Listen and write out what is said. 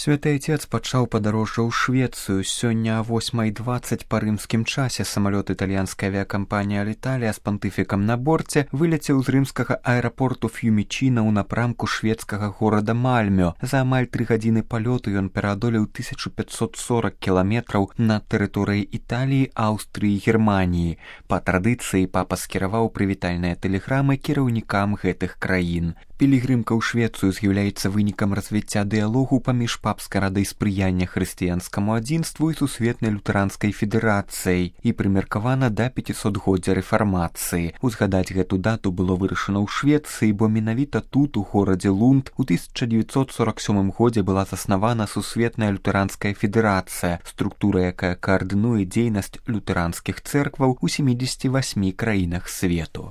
Святы Отец пачаў падарожжа ў Швецыю. Сёння о 8:20 па рымскім часе самалёт італьянскай авіякампаніі Аліталія з пантыфікам на борце вылецеў з рымскага аэрапорту Ф'юмічіна ў напрамку шведскага горада Мальмё. За амаль 3 гадзіны палёту ён пераадолеў 1540 кіламетраў на тэрыторыі Італіі, Аўстрыі і Германіі. Па традыцыі папа скіраваў прывітальныя тэлеграмы кіраўнікам гэтых краін. Пілігрымка ў Швецыю з'яўляецца вынікам развіцця дыялогу паміж папскай радай спрыяння хрысціянскаму адзінству і сусветнай лютэранскай федэрацыяй і прымеркавана да 500годдзя рэфармацыі. Узгадаць гэту дату было вырашана ў Швецыі, бо менавіта тут, у горадзе Лунд, у 1947 годзе была заснавана сусветная лютэранская федэрацыя, структура, якая каардынуе дзейнасць лютэранскіх цэркваў у 78 краінах свету.